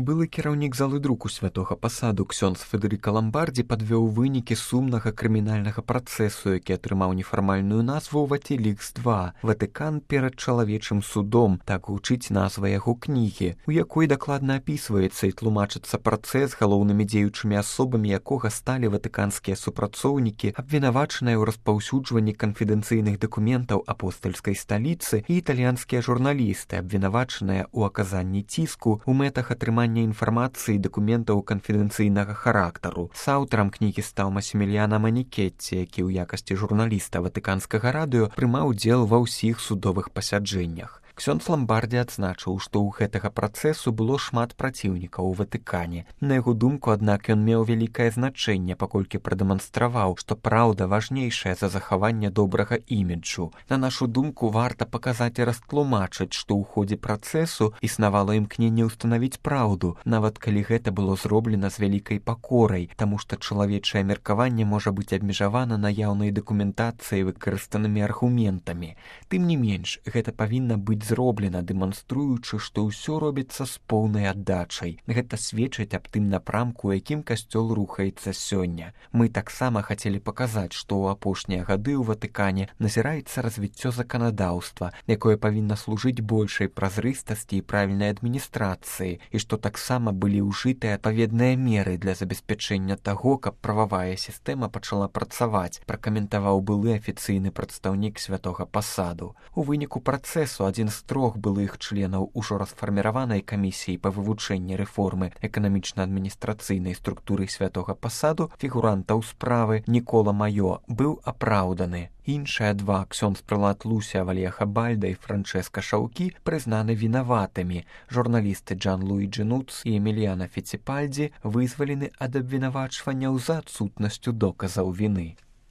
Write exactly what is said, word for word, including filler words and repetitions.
Былы кіраўнік залы друку святога пасаду ксёндз Федэрыка Ламбардзі падвёў вынікі сумнага крымінальнага працэсу, які атрымаў нефармальную назву «Ватилікс два. Ватыкан перад чалавечым судом», так гучыць назва яго кнігі, у якой дакладна апісваецца і тлумачыцца працэс, галоўнымі дзеючымі асобамі якога сталі ватыканскія супрацоўнікі, абвінавачаныя ў распаўсюджванні канфідэнцыйных дакументаў апостальскай сталіцы, і італьянскія журналісты, абвінавачаныя ў аказанні ціску у мэтах атрымання інфармацыі і дакументаў канфідэнцыйнага характару. Саўтарам кнігі стаў Масіміліяна Манікетці, які ў якасці журналіста ватыканскага радыё прымаў удзел ва ўсіх судовых пасяджэннях. Ксёндз Ламбардзі адзначыў, што ў гэтага працэсу было шмат праціўнікаў у Ватыкане. На яго думку, аднак, ён меў вялікае значэнне, паколькі прадэманстраваў, што праўда важнейшая за захаванне добрага іміджу. На нашу думку, варта паказаць і растлумачыць, што ў ходзе працэсу існавала імкненне ўстанавіць праўду, нават калі гэта было зроблена з вялікай пакорай, таму што чалавечае меркаванне можа быць абмежавана наяўнай дакументацыяй выкарыстанымі аргументамі. Тым не менш, гэта павінна быць зроблена, дэманструючы, што ўсё робіцца з поўнай аддачай. Гэта сведчыць аб тым напрамку, у якім касцёл рухаецца сёння. Мы таксама хацелі паказаць, што ў апошнія гады ў Ватыкане назіраецца развіццё заканадаўства, якое павінна служыць большай празрыстасці і правільнай адміністрацыі, і што таксама былі ўжытыя адпаведныя меры для забеспячэння таго, каб прававая сістэма пачала працаваць, пракаментаваў былы афіцыйны прадстаўнік святога пасаду. У выніку працэсу адзін з трох былых членаў ужо расфарміраванай камісіі па вывучэнні рэформы эканамічна-адміністрацыйнай структуры святога пасаду фігурантаў справы Нікола Маё быў апраўданы. Іншыя два, ксёндз прылад Луся Вальеха Бальда і Франчэска Шаўкі, прызнаны вінаватымі. Журналісты Джан Луіджі Нуц і Эміліяна Фіціпальдзі вызвалены ад абвінавачванняў за адсутнасцю доказаў віны.